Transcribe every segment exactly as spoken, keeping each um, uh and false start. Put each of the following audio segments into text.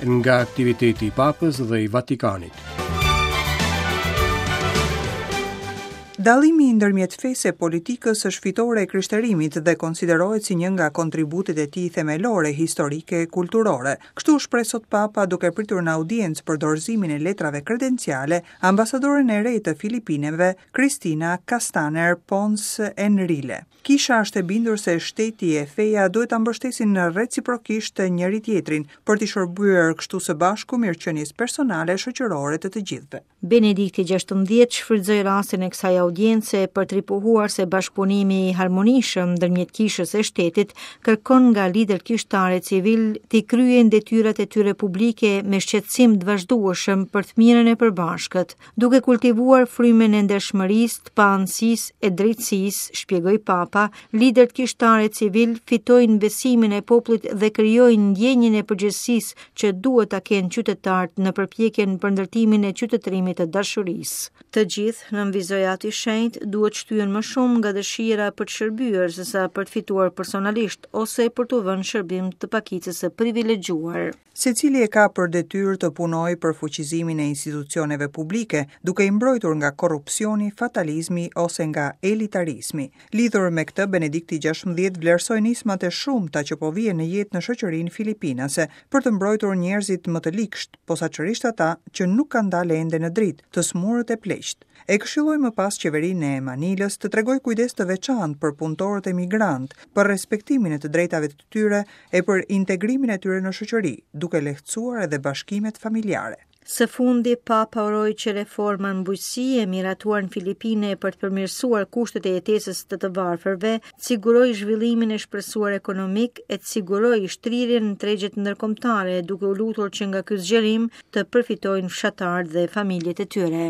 Nga aktiviteti i Papës dhe i Vatikanit. Dallimi ndërmjet fesë e politikës është fitore e krishterimit dhe konsiderohet si një nga kontributet e tij themelore historike e kulturore. Kështu u shpreh sot Papa duke pritur në audiencë për dorëzimin e letrave kredenciale ambasadoren e re të Filipineve, Cristina Castaner Pons Enrile. Kisha është e bindur se shteti e feja duhet ta mbështesin reciprokisht njëri tjetrin për t'i shërbyer kështu së bashku mirëqenies personale e shoqërore të të gjithëve. Benedikti gjashtëmbëdhjetë shfrytëzoi rastin e kësaj audience për të ripohuar se bashkëpunimi i harmonishëm ndërmjet kishës e shtetit kërkon nga liderët kishtare civil t'i kryejnë detyrat e tyre publike me shqetësim të vazhdueshëm për të mirën e përbashkët, duke kultivuar frymën e ndershmërisë, të paanësisë e drejtësisë, shpjegoi Papa. Liderët kishtare civil fitojnë besimin e popullit dhe krijojnë ndjenjën e përgjegjësisë që duhet ta kenë qytetarët në përpjekjen për ndërtimin e qytetërimit të dashurisë. Të gjithë, nënvizoi Ati Shenjt, duhet shtyen më shumë nga dëshira për të shërbyer sesa për të fituar personalisht ose për t'u vënë shërbim të pakicës së privilegjuar. Secili e ka për detyrë të punojë për fuqizimin e institucioneve publike, duke i mbrojtur nga korrupsioni, fatalizmi ose nga elitarizmi. Lidhur me këtë, Benedikti gjashtëmbëdhjetë vlerësoi nismat e shumta që po vihen në jetë në shoqërinë filipinase për të mbrojtur njerëzit më të liksht, posaçërisht ata që nuk kanë dalë ende në dritë, të smurët e pleqt. E këshilloi më pas qeverinë e Manilës të tregojë kujdes të veçantë për punëtorët emigrantë, për respektimin e të drejtave të tyre e për integrimin e tyre në shoqëri, duke lehtësuar edhe bashkimet familjare. Së fundi, Papa uroi që reforma në bujqësi e miratuar në Filipine për të përmirësuar kushtet e jetesës të të varfërve, të sigurojë zhvillimin e shpresuar ekonomik e të sigurojë shtrirjen në tregjet ndërkombëtare, duke u lutur që nga ky zgjerim të përfitojnë fshatarët dhe familjet e tyre.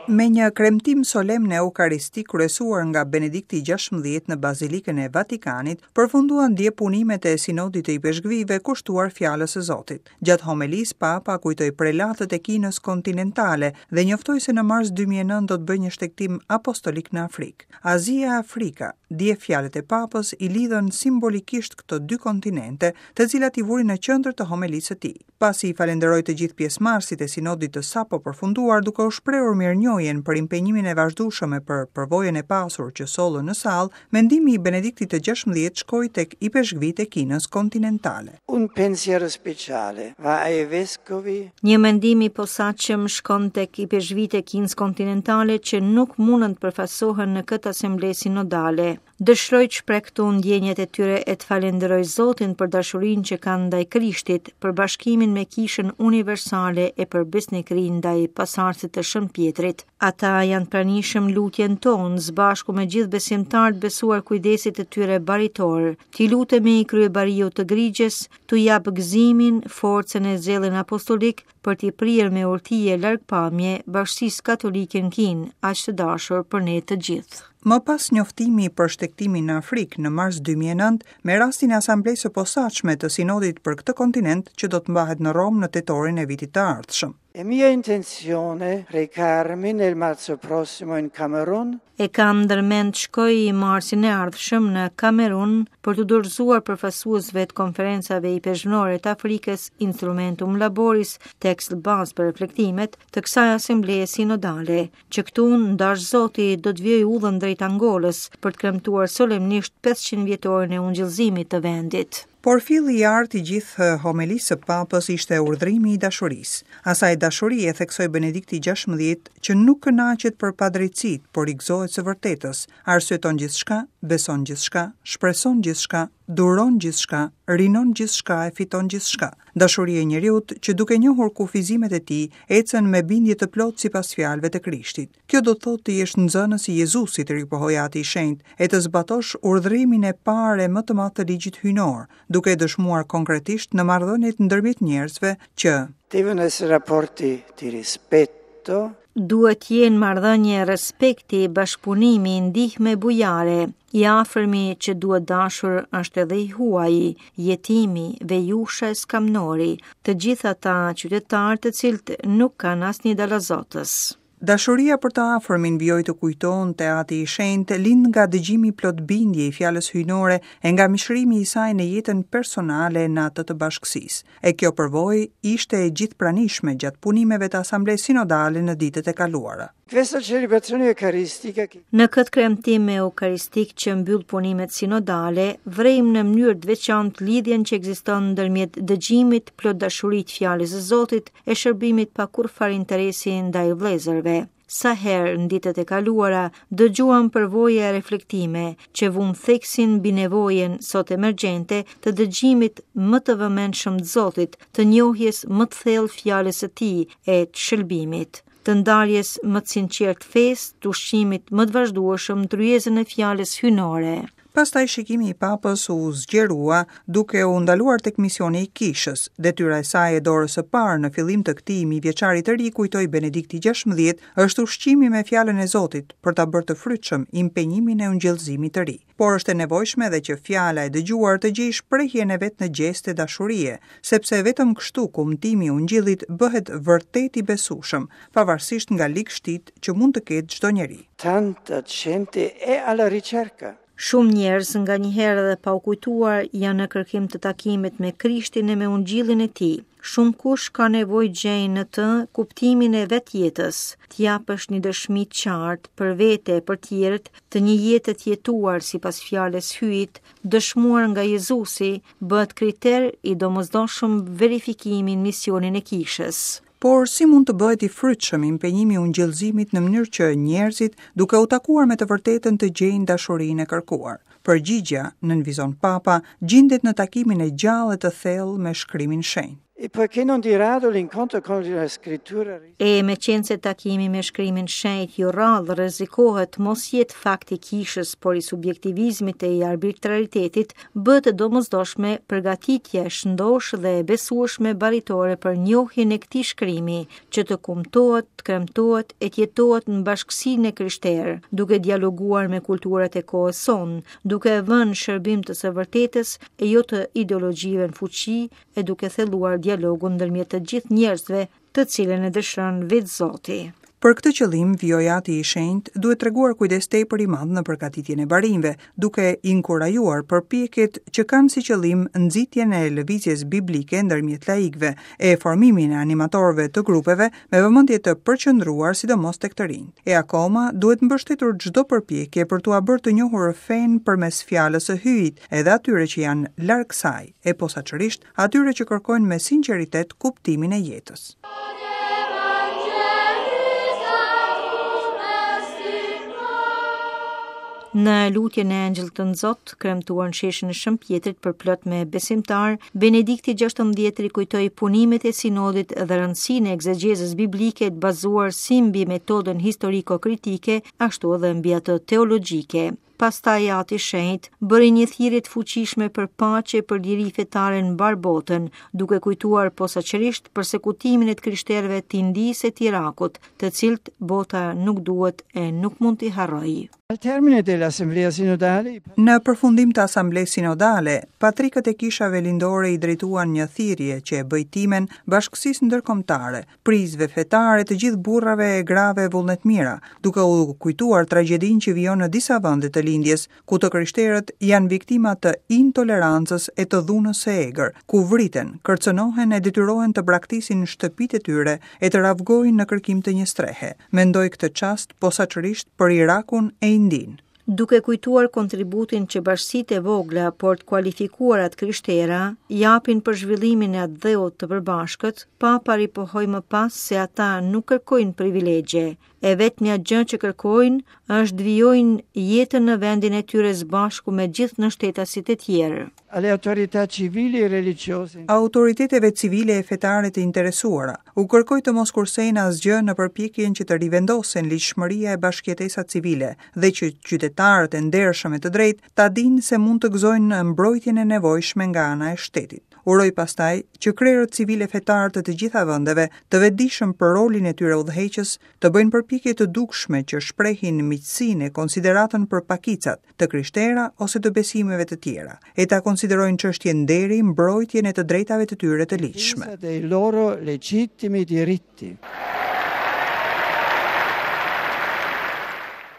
Me një kremtim solemn eukaristik kryesuar nga Benedikti gjashtëmbëdhjetë në Bazilikën e Vatikanit, përfunduan dje punimet e sinodit të ipeshkvive kushtuar fjalës së Zotit. Gjatë homelisë, Papa kujtoi prelatët e Kinës kontinentale dhe njoftoi se në mars dy mijë e nëntë do të bëjë një shtegtim apostolik në Afrikë. Azia e Afrika, dje fjalët e Papës i lidhën simbolikisht këto dy kontinente, të cilat i vuri në qendër të homelisë së tij. Pasi i falenderoi të gjithë pjesëmarrësit e sinodit të sapo përfunduar, duke u shprehur mirënjohjen për impenjimin e vazhdueshëm e për përvojën e pasur që sollën në sallë, mendimi i Benediktit të gjashtëmbëdhjetë shkoi tek ipeshkvit e Kinës kontinentale. Un pensiero speciale va ai vescovi. Një mendim i posaçëm shkon tek ipeshkvit e Kinës kontinentale që nuk mundën të përfaqësohen në këtë asamble sinodale. Dëshiroj të shpreh këtu ndjenjat e tyre e të falenderoj Zotin për dashurinë që kanë ndaj Krishtit, për bashkimin me Kishën Universale e për besnikërinë ndaj pasardhësit të Shën Pjetrit. Ata janë pranishëm lutjen tonë, së bashku me gjithë besimtarët besuar kujdesit të tyre baritor. T'i lutemi kryebariut të grigjes, t'u jap gëzimin, forcën e zellin apostolik për t'i prirë me urti e largpamje bashkësisë katolike në Kinë, aq të dashur për ne të gjithë. Më pas njoftimi për shtegtimin në Afrikë në mars dy mijë e nëntë, me rastin e asamblesë së posaçme të sinodit për këtë kontinent që do të mbahet në Romë në tetorin e vitit të ardhshëm. È mia intenzione recarmi nel marzo prossimo in Camerun. E kam ndërmend shkoj i marsin e ardhshëm në Kamerun për të dorëzuar përfaqësuesve të konferencave ipeshkvnore të Afrikës Instrumentum Laboris, tekst bazë për reflektimet të kësaj asambleje sinodale, që këtu ndash Zoti do të vijoj udhën drejt Angolës për të kremtuar solemnisht pesëqind vjetorin e ungjillzimit të vendit. Por filli i artë i gjithë homelisë së Papës ishte urdhrimi i dashurisë. Asaj dashurie theksoi Benedikti gjashtëmbëdhjetë që nuk kënaqet për padrejtësitë, por i gëzohet së vërtetës, arsyeton gjithçka, beson gjithçka, shpreson gjithçka, duron gjithçka, rinon gjithçka e fiton gjithçka. Dashuria e njeriut që duke njohur kufizimet e tij, ecën me bindje të plotë sipas fjalëve të Krishtit. Kjo do të thotë të jesh nxënës i Jezusit, ripohoi Ati i Shenjtë, e të zbatosh urdhrimin e parë e më të madh të ligjit hyjnor, duke e dëshmuar konkretisht në marrëdhëniet ndërmjet njerëzve që devono essere rapporti di rispetto, duhet jenë marrëdhënie respekti, bashkëpunimi, ndihme bujare. I afërmi që duhet dashur është edhe i huaji, jetimi, vejusha e skamnori, të gjithë ata qytetarë të cilët nuk kanë asnjë dalazotës. Dashuria për të afërmin, vijoi të kujtonte Ati i Shenjtë, lind nga dëgjimi plot bindje i fjalës hyjnore e nga mishërimi i saj në jetën personale në atë të bashkësisë. E kjo përvojë ishte e gjithë pranishme gjatë punimeve të Asamblesë Sinodale në ditët e kaluara. Questa celebrazione eucaristica Në këtë kremtim eukaristik që mbyll punimet sinodale, vrejmë në mënyrë të veçantë lidhjen që ekziston ndërmjet dëgjimit plot dashuri të fjalës së Zotit e shërbimit pa kurrfar interesi ndaj vëllezërve. Sa herë në ditët e kaluara dëgjuam përvoja e reflektime që vun theksin mbi nevojën sot emergjente të dëgjimit më të vëmendshëm të Zotit, të njohjes më të thellë fjalës së tij e të shëlbimit, të ndarjes më të sinqertë fesë, të ushqimit më të vazhdueshëm në tryezën e fjalës hyjnore. Pastaj shikimi i papës u zgjerua duke u ndaluar tek misioni i kishës. Detyra e saj e dorës së parë në fillim të këtij mijëvjeçari të ri, kujtoi Benedikti gjashtëmbëdhjetë, është ushqimi me fjalën e Zotit për ta bërë të frytshëm impenjimin e ungjillzimit të ri. Por është e nevojshme edhe që fjala e dëgjuar të gjejë shprehjen e vet në gjeste dashurie, sepse vetëm kështu kumtimi i ungjillit bëhet vërtet i besueshëm, pavarësisht nga ligështitë që mund të ketë çdo njeri. Tanta gente è alla ricerca. Shumë njerëz nga njëherë dhe pa u kujtuar janë në kërkim të takimit me Krishtin e me ungjillin e tij. Shumë kush ka nevojë gjejnë në të kuptimin e vetë jetës, të japësh një dëshmi të qartë për vete e për tjerët të një jete të jetuar sipas fjalës Hyjit, dëshmuar nga Jezusi, bëhet kriter i domosdoshëm verifikimi në misionin e kishës. Por si mund të bëhet i frytshëm impenjimi i ungjillzimit në mënyrë që njerëzit, duke u takuar me të vërtetën, të gjejnë dashurinë e kërkuar? Përgjigjja, nënvizon Papa, gjendet në takimin e gjallë e të thellë me shkrimin shenjt. E poiché non di rado l'incontro con la scrittura E me qenë se takimi me shkrimin shenjt jo rrallë rrezikohet mos jetë fakt i kishës, por i subjektivizmit e i arbitraritetit, bëhet e domosdoshme përgatitja e shëndoshë dhe e besueshme baritore për njohjen e këtij shkrimi, që të kumtohet, të kremtohet e të jetohet në bashkësinë e krishterë, duke dialoguar me kulturat e kohës sonë, duke e vënë në shërbim të së vërtetës e jo të ideologjive në fuqi, e duke thelluar dialogun ndërmjet të gjithë njerëzve, të cilën e dëshiron vetë Zoti. Për këtë qëllim, vijoi Ati i Shenjtë duhet treguar kujdes tepër i madh në përgatitjen e barinjve, duke inkurajuar përpjekjet që kanë si qëllim nxitjen e lëvizjes biblike ndërmjet laikëve e formimin e animatorëve të grupeve me vëmendje të përqendruar sidomos tek të rinjt. E akoma duhet mbështetur çdo përpjekje për t'ua bërë të njohur fenë përmes fjalës së Hyjit, edhe atyre që janë larg saj, e posaçërisht atyre që kërkojnë me sinqeritet kuptimin e jetës. Në lutjen e Engjëllit të Nxot, kremtuar në sheshin e Shën Pjetrit për plot me besimtar, Benedikti gjashtëmbëdhjetë rikujtoi punimet e sinodit dhe rëndësinë e egzegjezës biblike të bazuar si mbi metodën historiko-kritike, ashtu edhe mbi atë teologjike. Pastaj Ati Shenjt bëri një thirrje të fuqishme për paqe për liri fetare në mbar botën, duke kujtuar posaçërisht persekutimin e të krishterëve të Indisë e të Irakut, të cilët bota nuk duhet e nuk mund t'i harrojë. Al termine dell'Assemblea Sinodale, Në përfundim të Asamblesë Sinodale, patrikët e kishave lindore i drejtuan një thirrje që e bëj timen bashkësisë ndërkombëtare, prijësve fetare të gjithë burrave e grave vullnetmira, duke u kujtuar tragjedinë që vijon në disa vende të lindjes, ku të krishterët janë viktima të intolerancës e të dhunës së egër, ku vriten, kërcënohen e detyrohen të braktisin shtëpitë e tyre e të ravgojnë në kërkim të një strehe. Mendoj këtë çast posaçërisht për Irakun e Indinë. Duke kujtuar kontributin që bashkësitë e vogla, por të kualifikuara të krishtera, japin për zhvillimin e atdheut të përbashkët, Papa ripohoi më pas se ata nuk kërkojnë privilegje. E vetmja gjë që kërkojnë është të vijojnë jetën në vendin e tyre së bashku me gjithë nënshtetasit e tjerë. Alle autorità civili e religiose. Autoriteteve civile e fetare të interesuara u kërkoi të mos kursejnë asgjë në përpjekjen që të rivendosen ligjshmëria e bashkëjetesa civile dhe që qytetarët e ndershëm e të drejtë ta dinë se mund të gëzojnë mbrojtjen e nevojshme nga ana e shtetit. Uroj pastaj që krerët civile fetarë të të gjitha vendeve, të vetëdijshëm për rolin e tyre udhëheqës, të bëjnë përpjekje të dukshme që shprehin miqësinë e konsideratën për pakicat, të krishtera ose të besimeve të tjera, e ta konsiderojnë çështje nderi mbrojtjen e të drejtave të tyre të ligjshme. Dei loro legittimi diritti.